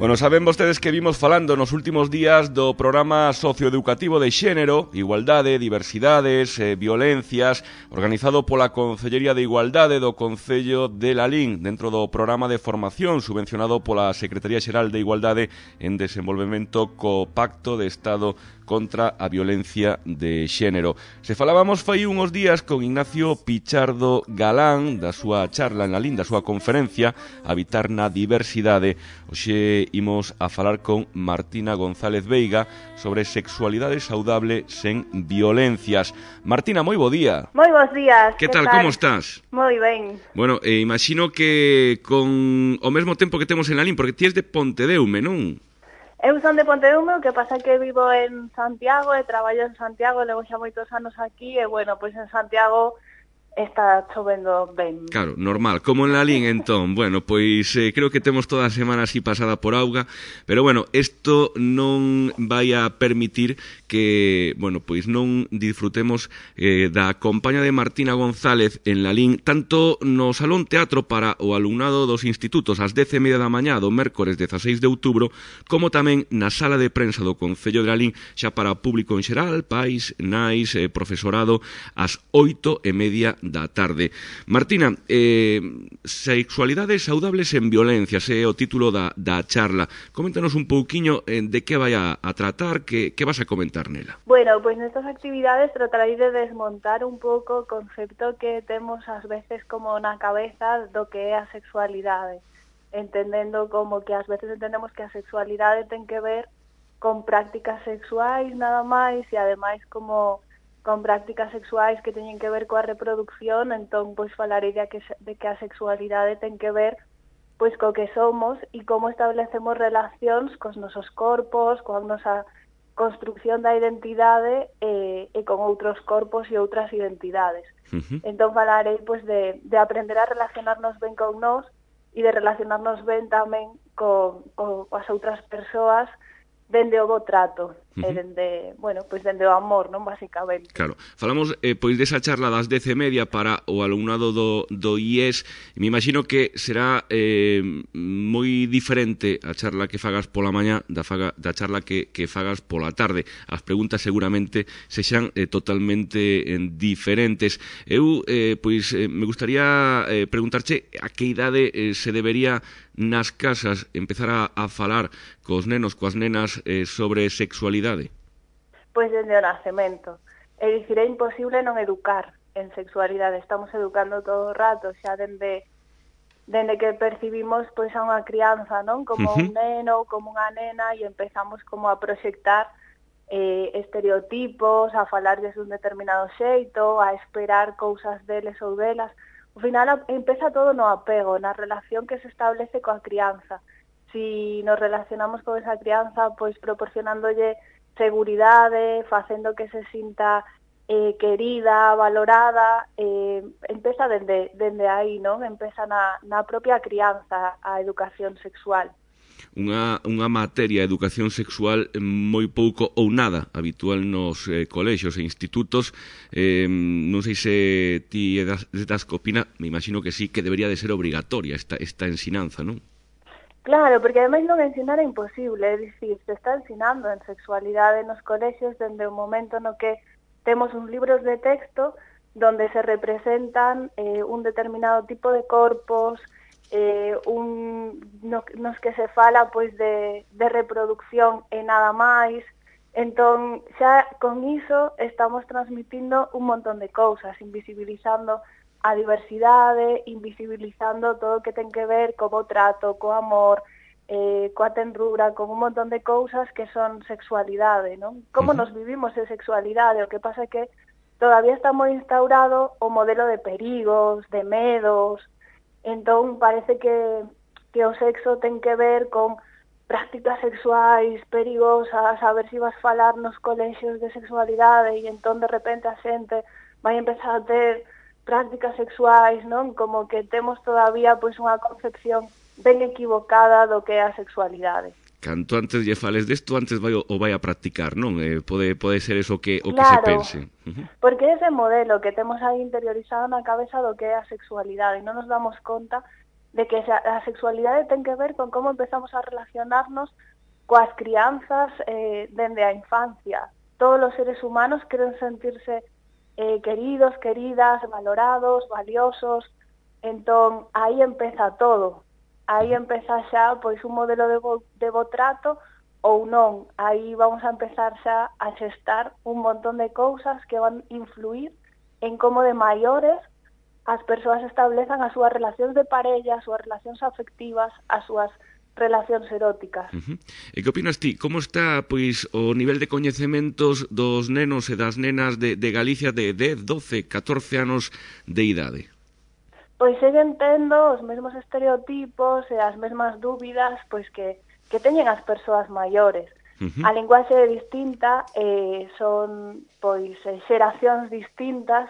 Bueno, saben vostedes que vimos falando nos últimos días do programa socioeducativo de xénero, igualdade, diversidades, violencias, organizado pola Concellería de Igualdade do Concello de Lalín, dentro do programa de formación subvencionado pola Secretaría Xeral de Igualdade en desenvolvemento co Pacto de Estado contra a violencia de xénero. Se falábamos fai uns días con Ignacio Pichardo Galán da súa charla en Lalín, da súa conferencia Habitar na Diversidade. Hoxe imos a falar con Martina González Veiga sobre sexualidade saudable sen violencias. Martina, moi bo día. Moi bons días. Que tal, como estás? Moi ben. Bueno, imagino que con o mesmo tempo que temos en Lalín, porque ti és de Pontedeume, non? Eu son de Pontedeume, o que pasa que vivo en Santiago e traballo en Santiago, levo xa moitos anos aquí e, bueno, pois en Santiago está chovendo ben. Claro, normal, como en Lalín, entón. Bueno, pois creo que temos toda a semana así pasada por auga, pero bueno, isto non vai a permitir que, bueno, pois non disfrutemos da compañía de Martina González en Lalín, tanto no Salón Teatro para o alumnado dos institutos ás 10:30 da mañá do mércores 16 de outubro, como tamén na sala de prensa do Concello de Lalín, xa para público en xeral, pais, nais, profesorado, ás 8:30 da tarde. Martina, sexualidades saudables en violencias é o título da charla. Coméntanos un pouquiño de que vai a tratar, que vas a comentar nela. Bueno, pois nestas actividades tratarei de desmontar un pouco o concepto que temos ás veces como na cabeza do que é a sexualidade, entendendo como que ás veces entendemos que a sexualidade ten que ver con prácticas sexuais nada máis e ademais como con prácticas sexuais que teñen que ver coa reproducción, entón pois falarei de que a sexualidade ten que ver pois co que somos e como establecemos relacións cos nosos corpos, coa nosa construcción da identidade e con outros corpos e outras identidades. Entón falarei pois de aprender a relacionarnos ben con nós e de relacionarnos ben tamén coas outras persoas dende o bo trato, e dende, bueno, pois dende o amor, non, basicamente. Claro, falamos pois desa charla das 10:30 para o alumnado do IES. Me imagino que será moi diferente a charla que fagas pola mañá da charla que fagas pola tarde. As preguntas seguramente sexan totalmente diferentes. Eu, pois, me gustaría preguntarche a que idade se debería nas casas empezar a falar cos nenos, coas nenas sobre sexualidade? Pois dende o nacemento. É dicir, é imposible non educar en sexualidade. Estamos educando todo o rato, xa dende que percibimos pois a unha crianza, non? Como un neno ou como unha nena e empezamos como a proxectar estereotipos, a falarles dun determinado xeito, a esperar cousas deles ou delas. Ao final empeza todo no apego, na relación que se establece coa crianza. Si nos relacionamos con esa crianza, pois proporcionándolle seguridade, facendo que se sinta querida, valorada, empeza dende aí, non? Empeza na propia crianza a educación sexual. Unha materia, educación sexual, moi pouco ou nada habitual nos colexios e institutos. Non sei se ti das que opina, me imagino que sí, que debería de ser obrigatoria esta ensinanza, non? Claro, porque ademais non ensinar é imposible, é dicir, se está ensinando en sexualidade nos colexios dende o momento no que temos uns libros de texto donde se representan un determinado tipo de corpos, nos que se fala pois de reproducción e nada máis. Entón, xa con iso estamos transmitindo un montón de cousas, invisibilizando a diversidade, invisibilizando todo o que ten que ver co bo trato, co amor, coa tenrura, con un montón de cousas que son sexualidade, non? Como nos vivimos en sexualidade? O que pasa é que todavía está moi instaurado o modelo de perigos, de medos. Entón, parece que o sexo ten que ver con prácticas sexuais perigosas, a ver se vas falar nos colexios de sexualidade e entón de repente a xente vai empezar a ter prácticas sexuais, non? Como que temos todavía pois unha concepción ben equivocada do que é a sexualidade. Canto antes lle fales desto, antes vai a practicar, non? Pode ser eso que se pense. Porque ese modelo que temos aí interiorizado na cabeza do que é a sexualidade e non nos damos conta de que a sexualidade ten que ver con como empezamos a relacionarnos coas crianzas dende a infancia. Todos os seres humanos queren sentirse queridos, queridas, valorados, valiosos. Entón, aí empeza todo. Aí empeza xa pois un modelo de bo trato ou non. Aí vamos a empezar xa a xestar un montón de cousas que van influir en como de maiores as persoas establezan as súas relacións de parella, as súas relacións afectivas, as súas relacións eróticas. E que opinas ti? Como está pois o nivel de coñecementos dos nenos e das nenas de Galicia de 10, 12, 14 anos de idade? Pois seguen tendo os mesmos estereotipos e as mesmas dúbidas pois que teñen as persoas maiores. A linguaxe é distinta, son pois xeracións distintas,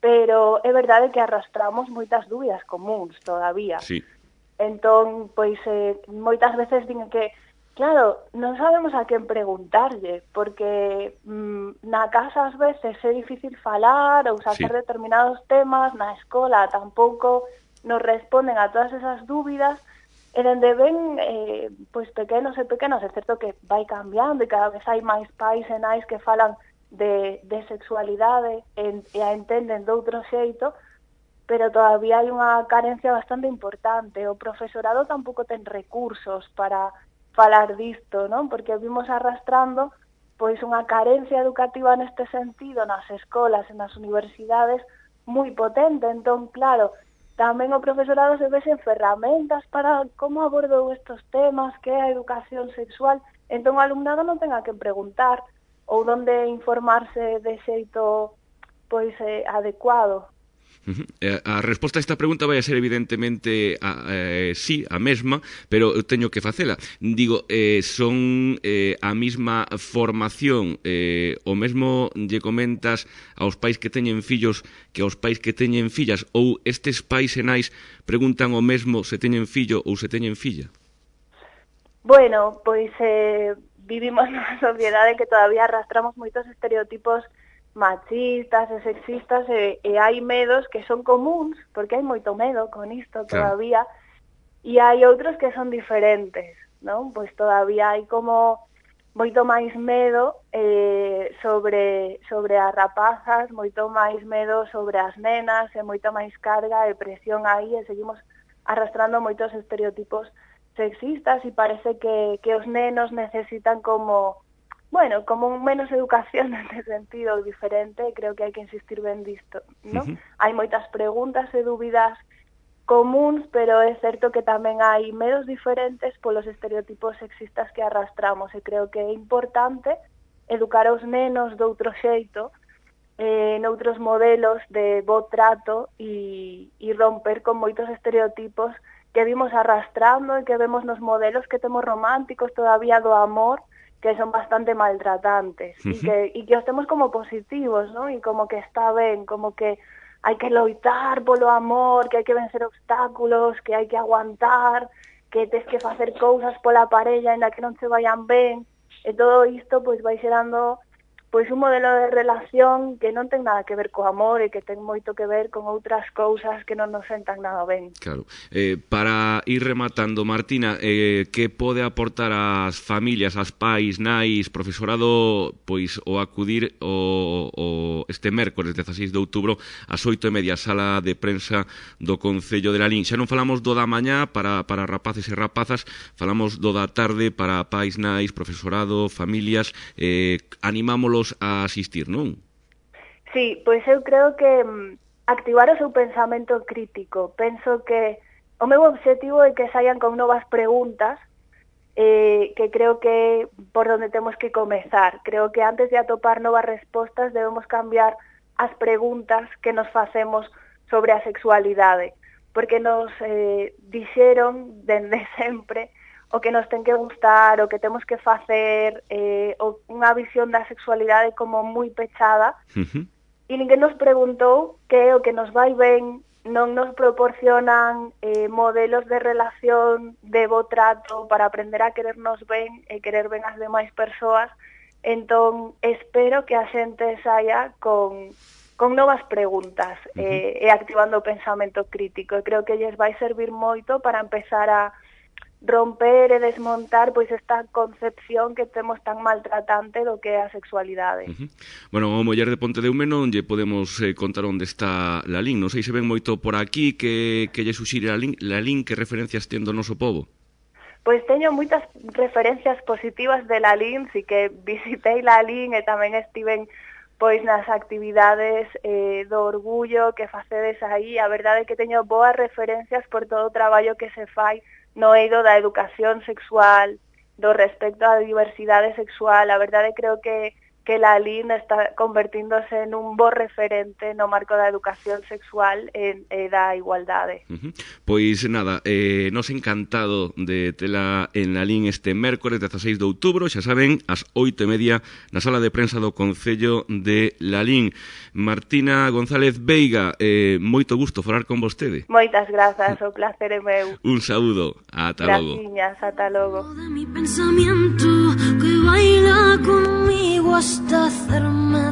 pero é verdade que arrastramos moitas dúbidas comuns todavía. Sí. Entón, pois moitas veces din que, claro, non sabemos a quen preguntarlle, porque na casa ás veces é difícil falar ou sacar determinados temas, na escola tampouco nos responden a todas esas dúbidas, e dende ben pois pequenos, é certo que vai cambiando e cada vez hai máis pais e nais que falan de sexualidade e a entenden de outro xeito, pero todavía hai unha carencia bastante importante. O profesorado tampouco ten recursos para falar disto, non? Porque vimos arrastrando pois unha carencia educativa neste sentido nas escolas e nas universidades moi potente. Entón, claro, tamén o profesorado se ve sen ferramentas para como abordou estes temas, que é a educación sexual. Entón, o alumnado non tenga que preguntar ou donde informarse de xeito pois adecuado. A resposta a esta pregunta vai a ser evidentemente sí, a mesma, pero eu teño que facela. Digo, son a mesma formación, o mesmo lle comentas aos pais que teñen fillos que aos pais que teñen fillas, ou estes pais e nais preguntan o mesmo se teñen fillo ou se teñen filla? Bueno, pois vivimos nunha sociedade que todavía arrastramos moitos estereotipos machistas e sexistas e hai medos que son comuns, porque hai moito medo con isto todavía, e hai outros que son diferentes, non? Pois todavía hai como moito máis medo sobre as rapazas, moito máis medo sobre as nenas e moita máis carga e presión aí e seguimos arrastrando moitos estereotipos sexistas e parece que os nenos necesitan como menos educación neste sentido diferente. Creo que hai que insistir ben disto, non? Hai moitas preguntas e dúbidas comuns, pero é certo que tamén hai medos diferentes polos estereotipos sexistas que arrastramos e creo que é importante educar aos nenos de outro xeito, noutros modelos de bo trato e romper con moitos estereotipos que vimos arrastrando e que vemos nos modelos que temos románticos todavía do amor, que son bastante maltratantes e que os temos como positivos, non? E como que está ben, como que hai que loitar polo amor, que hai que vencer obstáculos, que hai que aguantar, que tes que facer cousas pola parella en la que non se vayan ben, e todo isto pois vai xerando pois un modelo de relación que non ten nada que ver co amor e que ten moito que ver con outras cousas que non nos sentan nada ben. Claro. Para ir rematando, Martina, que pode aportar ás familias, ás pais, nais, profesorado, pois o acudir este mércores 16 de outubro ás 8:30, sala de prensa do Concello de Lalín. Xa non falamos do da mañá para rapaces e rapazas, falamos do da tarde para pais, nais, profesorado, familias. Animámolos a asistir, non? Sí, pois eu creo que activar o seu pensamento crítico. Penso que o meu obxectivo é que saian con novas preguntas, que creo que por onde temos que comezar. Creo que antes de atopar novas respostas debemos cambiar as preguntas que nos facemos sobre a sexualidade, porque nos dixeron dende sempre o que nos ten que gustar, o que temos que facer, unha visión da sexualidade como moi pechada, e ninguén nos preguntou que o que nos vai ben, non nos proporcionan modelos de relación, de bo trato, para aprender a querernos ben e querer ben as demais persoas. Entón, espero que a xente saia con novas preguntas e activando o pensamento crítico. E creo que lles vai servir moito para empezar a romper e desmontar pois esta concepción que temos tan maltratante do que é a sexualidade. Bueno, o Muller de Pontedeume non lle podemos contar onde está Lalín. Non sei se ven moito por aquí que lle suxire Lalín, que referencias ten do noso pobo? Pois teño moitas referencias positivas de Lalín, si que visitei Lalín e tamén estiven pois nas actividades do orgullo que facedes aí. A verdade é que teño boas referencias por todo o traballo que se fai no eido da educación sexual, do respecto á diversidade sexual. A verdade creo que Lalín está convertíndose en un bo referente no marco da educación sexual e da igualdade. Pois nada, nos encantado de tela en Lalín este mércores 16 de outubro, xa saben, ás 8:30 na sala de prensa do Concello de Lalín. Martina González Veiga, moito gusto falar con vostede. Moitas grazas, o placer é meu. Un saúdo, ata logo. Graciñas, ata logo. De mi pensamiento que baila conmigo hasta hacerme